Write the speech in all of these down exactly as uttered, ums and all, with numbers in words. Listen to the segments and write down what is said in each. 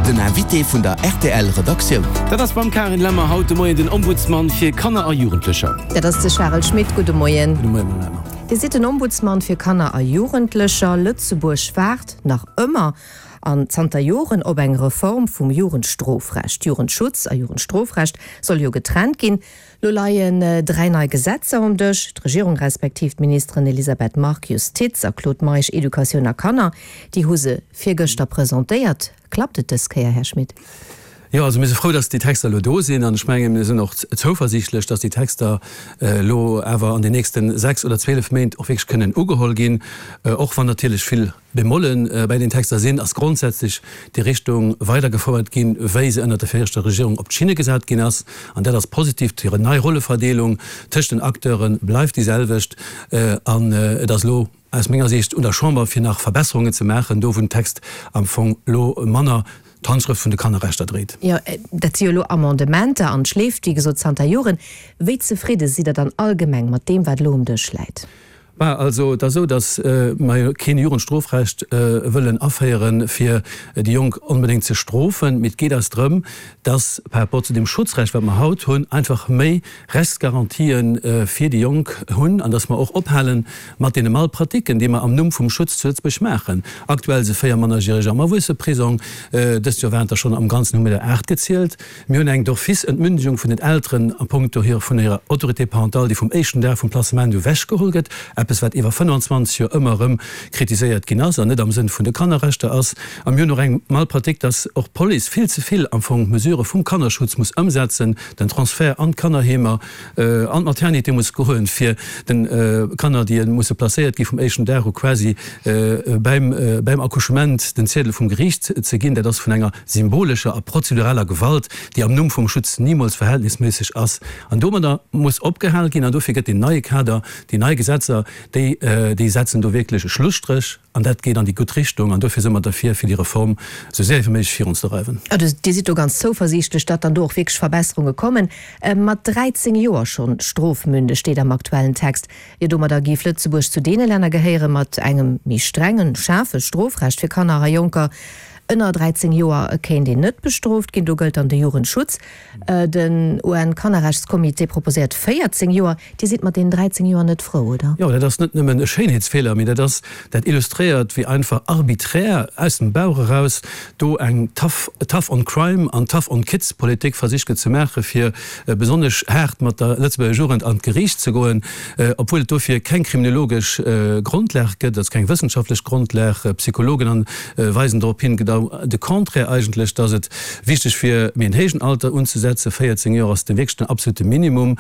Den Invité vun der R T L Redaktioun. Dat ass beim Karin Lemmer haut de Moien den Ombudsman fir Kanner a Jugendlecher. Dat ass de Charel Schmit. Gudde Moien. Gudde Moien, Madame Lemmer. Dir sidd den Ombudsman fir Kanner a Jugendlecher. Lëtzebuerg waart nach ëmmer an zanter Joren op eng Reform vum Jugendstrofrecht. Jugendschutz a Jugendstrofrecht soll jo getrennt ginn. Lo leien dräi nei Gesetzer um Dësch. D'Regierung respektiv d'Ministeren Elisabeth Margue, Justiz, a Claude Meisch, Educatioun a Kanner, déi hu se virgëschter presentéiert. Klappt et dës Kéier, Här Schmit? Jo, also mir si frou, dass déi Texter elo do sinn, an ech mengen, mir sinn och zouversiichtlech, dass déi Texter elo awer an den nächste sechs oder zwielef Méint och wierklech kënnen ugeholl ginn. Och wann natierlech vill Bemolle bei den Texter sinn, ass grondsätzlech déi Richtung weidergefouert ginn, wéi se ënnert der viregter Regierung op d'Schinne gesat ginn ass. An dat ass positiv. Déi nei Rolleverdeelung tëscht den Acteure bleift déi selwecht an et ass elo aus menger Siicht un der Chamber, fir nach Verbesserungen ze maachen, do wou den Text am Fong elo manner d'Handschrëft vun de Kannerrechter dréit. Jo, dat si jo elo Amendementer an et schleeft, wéi gesot, zanter Joren. Wéi zefridde sidd Der dann allgemeng mat deem, wat elo um Dësch läit? Bah, also et ass esou, datt mer jo keen Jugendstrofrecht wëllen aféieren, fir déi Jonk onbedéngt ze strofen, mee et geet eis drëm, datt par rapport zu deem Schutzrecht, wat mer haut hunn, einfach méi Rechtsgarantië fir déi Jonk hunn an datt mer och ophale mat deene Malpratiken, déi mer am Numm vum Schutz zu Lëtzebuerg maachen. Aktuell si véier Mannerjäreger am Erwuesseprisong. Dëst Joer waren et der schonn am Ganzen, hu mir der aacht gezielt. Mir hunn eng d'office Entmündigung vun den Elteren a punkto hir vun hirer Autorité parentale, déi vum éischten Dag vum Placement u wechgeholl gëtt, eppes wat iwwer fënnfanzwanzeg Joer ëmmer erëm kritiséiert ginn ass an net am Sënn vun de Kannerrechter ass. A mir hunn och eng Malpratique, dass och d'Police vill ze vill am Fong Mesurë vum Kannerschutz muss ëmsetzen, den Transfert an d'Kannerheemer, an d'Maternité muss goen, fir de Kanner, déi musse placéiert gi vum éischten Dag u quasi beim beim Accouchement den Ziedel vum Geriicht ze ginn. Dat ass vun enger symbolescher a prozeduraler Gewalt, déi am Numm vum Schutz nimools verhältnisméisseg ass. An domadder muss opgehal ginn an dofir gëtt deen neie Kader, déi nei Gesetzer, déi déi setzen do wierklech e Schlusstréch an dat geet an déi gutt Richtung an dofir si mer derfir, fir déi Reform esou séier wéi méiglech virunzedreiwen. Also Dir sidd do ganz zouversiichtlech, datt dann do och wierklech Verbesserunge kommen. Mat dräizéng Joer schonn strofmündeg, steet am aktuellen Text. Jo, domadder géif Lëtzebuerg zu deene Länner gehéiere mat engem méi strengen, schaarfe Strofrecht fir Kanner a Jonker. Ënner dräizéng Joer kéint een net bestrooft ginn, do gëllt dann de Jugendschutz. Den U N-Kannerrechtscomité proposéiert véierzéng Joer. Dir sidd mat deenen dräizéng Joer net frou, oder? Jo, dat ass net nëmmen e Schéinheetsfeeler, mee dat ass, dat illustréiert, wéi einfach arbiträr aus dem Bauch eraus do eng tough, tough on crime an tough on kids Politik versicht gëtt ze maachen, fir besonnesch haart mat der Lëtzebuerger Jugend an d'Geriicht ze goen, obwuel et dofir keng kriminologesch Grondlag gëtt, also keng wëssenschaftlech Grondlag. Psychologen an weisen dorop hin, genau de Contraire eigentlech, dass et wichteg wier, méi en héijen Alter unzesetzen. véierzéng Joer ass de wierklech den absolute Minimum.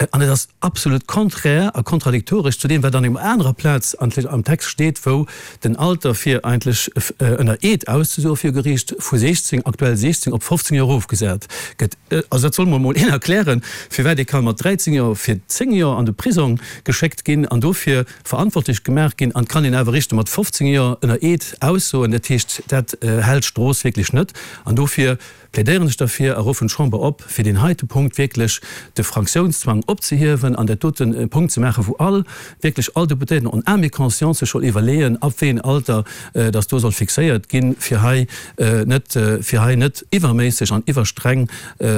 An et ass absolut konträr a kontradiktoresch zu deem, wat an enger anerer Plaz am Text steet, wou den Alter fir eigentlech ënner Eed auszesoe fir Geriicht vu siechzéng, aktuell siechzéng, op fofzéng Joer erofgesat gëtt. Also dat soll mer emol een erklären, firwat ee ka mat dräizéng Joer fir zéng Joer an de Prisong geschéckt ginn an dofir verantwortlech gemaach ginn, an et kann een awer eréischt mat fofzéng Joer ënner Eed aussoen. Dat heescht, dat hält d'Strooss wierklech net. An dofir plädéieren ech derfir a ruffen d'Chamber op, fir deen heite Punkt wierklech de Fraktiounszwang opzehiewen an dat doten e Punkt ze maachen, wou all, wierklech all Deputéierten en âme et conscience sech soll iwwerleeën, ab wéi een Alter dass do soll fixéiert ginn, fir hei net, fir hei net iwwerméisseg an iwwerstreng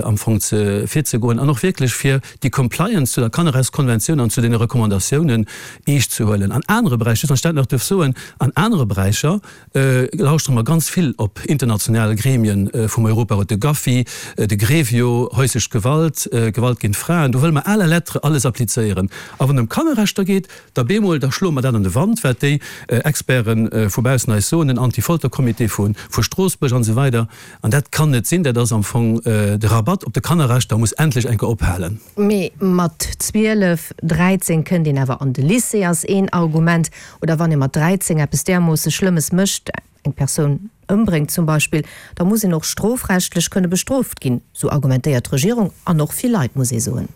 am Fong ze virzegoen an och wierklech fir déi Compliance zu der Kannerrechtskonventioun an zu deene Recommandatiounen eescht ze huelen. An anere Beräicher, just wann ech dat nach duerf soen, an anere Beräicher lauschtere mer ganz vill op international Gremien vum Europarot, de GAFI, de Grevio, häuslech Gewalt, Gewalt géint Fraen, do wëlle mer à la lettre alles applizéieren. A wann et ëm Kannerrechter geet, da bemol, da schloe mer dat an de Wand, wat déi Experte vu baussen eis soen, den Anti-Folter-Comité vu Stroossbuerg an esou weider. An dat kann net sinn. Dat ass am Fong de Rabatt op de Kannerrechter muss endlech eng Kéier ophalen. Mee mat zwielef, dräizéng kënnt een awer an de Lycée, ass een Argument. Oder wann ee mat dräizéng eppes därmoosse Schlëmmes mécht, eng Persoun ëmbréngt zum Beispill, da muss een och strofrechtlech kënne bestrooft ginn, sou argumentéiert d'Regierung an och vill Leit, muss ee soen.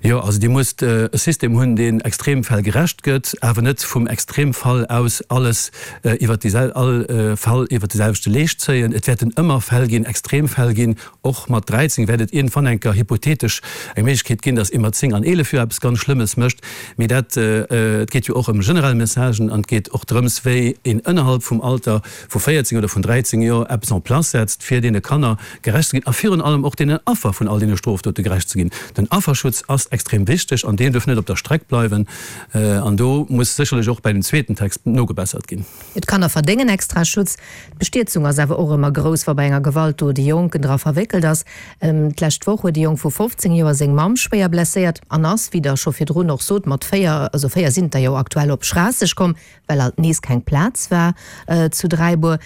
Jo, also Dir musst e System hunn, deen Extremfäll gerecht gëtt, awer net vum Extremfall aus alles iwwert déi, all Fall iwwert déi selwechte Leescht zéien. Et wäerten ëmmer Fäll ginn, Extremfäll ginn, och mat dräizéng wäert et iergendwann eng Kéier hypothetesch eng Méiglechkeet ginn, datt ee mat zéng an eelef Joer eppes ganz Schlëmmes mécht. Mee dat, et geet jo och ëm generell Messagen an et geet och drëms, wéi een ënnerhalb vum Alter vu véierzéng oder vun dräizéng Joer eppes en place setzt, fir deene Kanner gerecht ze ginn a virun allem och deenen Affer vun all deene Strofdote gerecht ze ginn. Den Afferschutz ass extrem wichteg an deen duerf net op der Streck bleiwen. An do muss sécherlech och bei dem zweeten Text nogebessert ginn. D'Kanner verdéngen extra Schutz. D'Bestierzung ass awer och ëmmer grouss, wa bei enger Gewaltdot e Jonken dra verwéckelt ass. D'lescht Woch huet e Jong vu fofzéng Joer seng Mamm schwéier blesséiert an ass, wéi Der scho virdrun och sot, mat véier, also véier sinn et der jo aktuell, op Schraasseg komm, well alt nees keng Plaz war zu Dräibuer.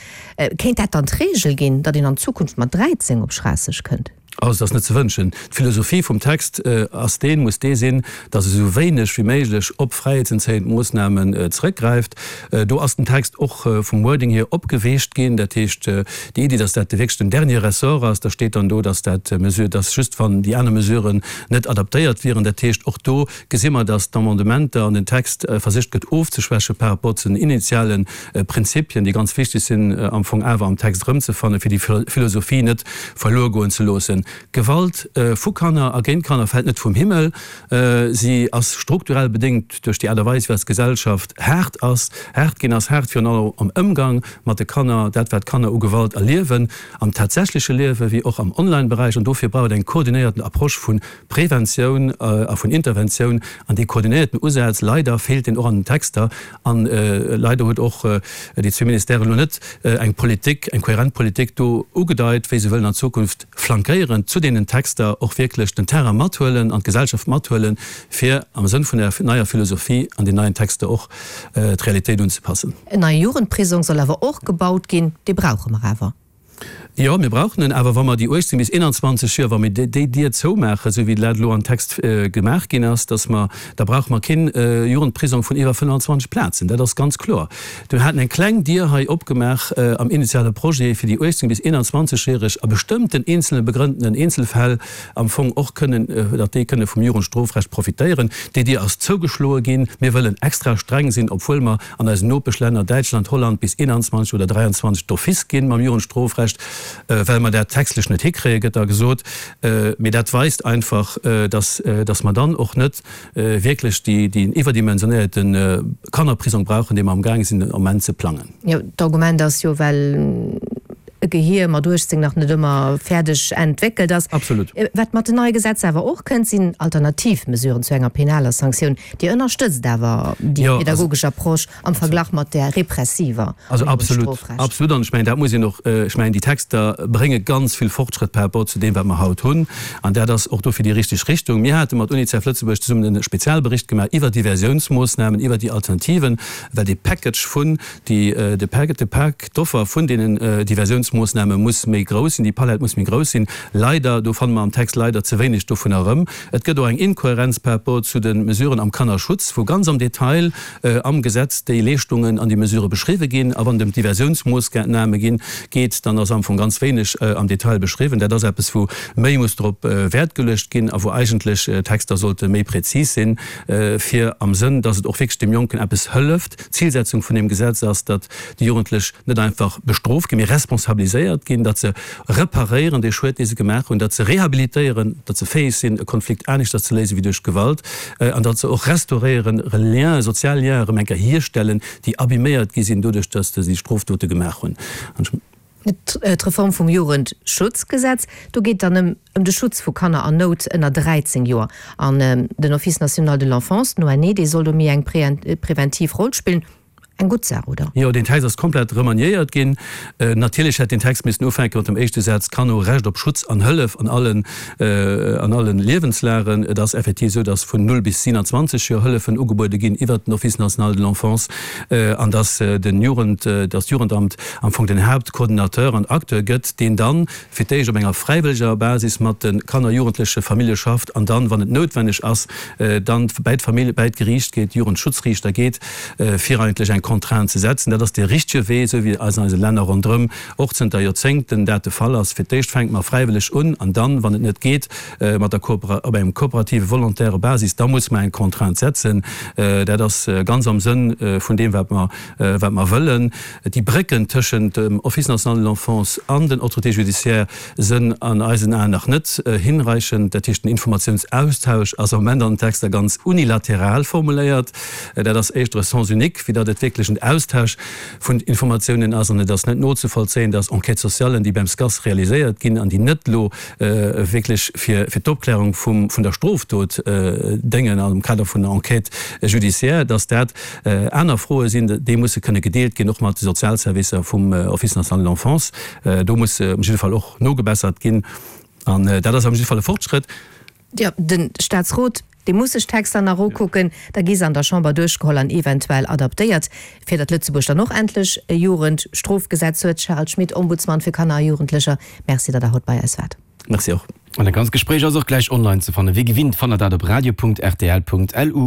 Kéint dat dann d'Reegel ginn, datt een an Zukunft mat dräizéng op Schraasseg kënnt? Also et ass net ze wënschen. D'Philosophie vum Text ass deen, muss dee sinn, datt e sou wéineg wéi méiglech op fräiheetsentzéiend Moossnamen zeréckgräift. Do ass den Text och vum Wording hier opgeweecht ginn. Dat heescht, déi Iddi, datt dat wierklech den dernier ressort ass, da steet dann do, datt dat Mesure, datt just wann déi aner Mesuren net adaptéiert wieren. Dat heescht, och do gesi mer, datt d'Amendementer an den Text versicht gëtt ofzeschwäche par rapport zu den initiale Prinzipien, déi ganz wichteg sinn am Fong awer am Text erëmzefannen, fir déi Philosophie net verluer goen ze loossen. Gewalt vu Kanner a géint Kanner fält net vum Himmel. Si ass strukturell bedéngt duerch déi Aart a Weis, wéi eis Gesellschaft haart ass, haart ginn ass, haart virun allem am Ëmgang mat de Kanner, dat wat d'Kanner u Gewalt erliewen, am tatsächleche Liewe wéi och am Online-Beräich. An dofir brauch et eng koordinéierten Approche vu Preventioun a vun Interventioun. An dee koordinéierten Usaz, leider feelt deen och an den Texter. An leider huet och déi zwee Ministèren elo net eng Politik, eng kohärent Politik do ugedeit, wéi se wëllen an Zukunft flankéierend zu deenen Texter och wierklech den Terrain mathuelen an d'Gesellschaft mathuelen, fir am Sënn vun der neier Philosophie an den neien Texter och d'Realitéit unzepassen. En neie Jugendprisong soll awer och gebaut ginn. Dee brauche mer awer. Jo, mir brauchen en, awer wa mer déi uechtzéng bis eenanzwanzeg Joer, wa mir déi Dier zoumaachen, esou wéi dat elo am Text gemaach ginn ass, dass mer, da brauche mer keen Jugendprisong vun iwwer fënnfanzwanzeg Plazen. Dat ass ganz kloer. Mir haten eng kleng Dier hei opgemaach am initiale Projet, fir déi uechtzéng bis eenanzwanzeg-Järeg a bestëmmten eenzelne begrënnten Eenzelfäll am Fong och kënnen, datt déi kënne vum Jugendstrofrecht profitéieren. Déi Dier ass zougeschloe ginn. Mir wëllen extra streng sinn, obwuel mer an eisen Nopeschlänner, Däitschland, Holland, bis eenanzwanzeg oder dräianzwanzeg d'office ginn mam Jugendstrofrecht, well mer dat textlech net hikréien, gëtt da gesot. Mee dat weist einfach, datt, datt mer dann och net wierklech déi, deen iwwerdimensionéierte Kannerprisong brauchen, dee mer amgaange sinn den Ament ze plangen. Jo, d'Argument ass jo, well e Gehier mat uechtzéng nach net ëmmer fäerdeg entwéckelt ass. Absolut. Wat mat den neie Gesetzer awer och kënnt, sinn alternativ Mesuren zu enger penaler Sanktioun. Dir ënnerstëtzt awer déi pedagogesch Approche am Verglach mat där repressiver am Jugendstrofrecht. Also absolut, absolut. An ech mengen, dat muss een och, ech mengen, déi Texter brénge ganz vill Fortschrëtt par rapport zu deem, wat mer haut hunn. An dat ass och dofir déi richteg Richtung. Mir hate mat UNICEF Lëtzebuerg zesummen e Spezialbericht gemaach iwwert d'Diversiounsmoossnamen, iwwert déi Alternativen, well dee Package vun, déi, de Pak, de Pak, d'Offer vun deenen Diversiounsmoossname muss méi grouss sinn, déi Palett muss méi grouss sinn. Leider, do fanne mer am Text leider ze wéineg dovun erëm. Et gëtt och eng Inkohärenz par rapport zu de Mesuren am Kannerschutz, wou ganz am Detail am Gesetz déi Leeschtungen an déi Mesurë beschriwwe ginn. A wann et ëm d'Diversiounsmoossname ginn, geet, dann ass am Fong ganz wéineg am Detail beschriwwen. Dat ass eppes, wou méi muss drop Wäert geluecht ginn a wou eigentlech d'Texter sollte méi präzis sinn, fir am Sënn, dass et och wierklech dem Jonken eppes hëlleft. D'Zilsetzung vun deem Gesetz ass, datt déi Jugendlech net einfach bestrooft ginn, mee responsabiliséiert ginn, datt se reparéieren dee Schued, dee se gemaach hunn, datt se rehabilitéieren, datt se fäeg sinn, e Konflikt aneschters ze léisen wéi duerch Gewalt, an datt se och restauréieren, Lienen, sozial Lienen erëm eng Kéier hierstellen, déi abiméiert gi sinn doduerch, datt se déi Strofdote gemaach hunn. D'Reform vum Jugendschutzgesetz, do geet dann ëm ëm de Schutz vu Kanner an Nout ënner dräizéng Joer. An den Office national de l'enfance, den O N E, dee soll do méi eng preventiv Roll spillen. Eng gutt Saach, oder? Jo, deen Text ass komplett remaniéiert ginn. Natierlech hätt deen Text missen ufänke mat dem éischte Saz, Kanner hu Recht op Schutz an Hëllef an allen, an allen Liewenslagen. Et ass effektiv esou, dass vun null bis siewenundzwanzeg Joer Hëllefen ugebuede ginn iwwert den Office national de l'enfance an dass den Jugend, dass d'Jugendamt am Fong den Haaptcoordinateur an Acteur gëtt, deen dann fir d'éischt op enger fräiwëlleger Basis mat de Kanner, Jugendleche, Famillje schafft an dann, wann et noutwenneg ass, dann bäi d'Famill, bäi d'Geriicht geet, Jugendschutzriichter geet, fir eigentlech eng Contrainte ze setzen. Dat ass dee richtege Wee, esou wéi an eise Länner ronderëm och zënter Joerzéngten dat de Fall ass. Fir d'éischt fänke mer fräiwëlleg un an dann, wann et net geet, mat der op engem kooperative, volontäre Basis, da musse mer eng Contrainte setzen. Dat ass ganz am Sënn vun deem, wat mer, wat mer wëllen. Déi Brécken tëschent dem Office national de l'enfance an den Autorités judiciaires sënn an eisen Aen nach net hinreichend. Dat heescht, den Informatiounsaustausch ass am Moment an den Texter ganz unilateral formuléiert. Dat ass éischter e Sens unique, wéi datt et wierklech en Austausch vun Informatiounen ass. An et ass net nozevollzéien, datt Enquêtes socialen, déi beim SCAS realiséiert ginn an déi net elo wierklech fir d'Opklärung vun der Strofdot déngen am Kader vun der Enquête judiciaire, datt dat aner Froe sinn, déi musse kënne gedeelt ginn, och mat de Sozialservicer vum Office national de l'enfance. Do muss op jidde Fall och nogebessert ginn. An dat ass op jidde Fall e Fortschrëtt. Jo, de Staatsrot, dee muss sech d'Texter nach ukucken, da gi se an der Chamber duerchgeholl an eventuell adaptéiert, fir datt Lëtzebuerg dann och endlech e Jugendstrofgesetz huet. Charel Schmit, Ombudsman fir Kanner a Jugendlecher, Merci, datt Der haut bei eis waart. Merci och. An dat ganzt Gespréich ass och gläich online ze fannen. Wéi gewinnt fannt der dat op radio.rtl.lu.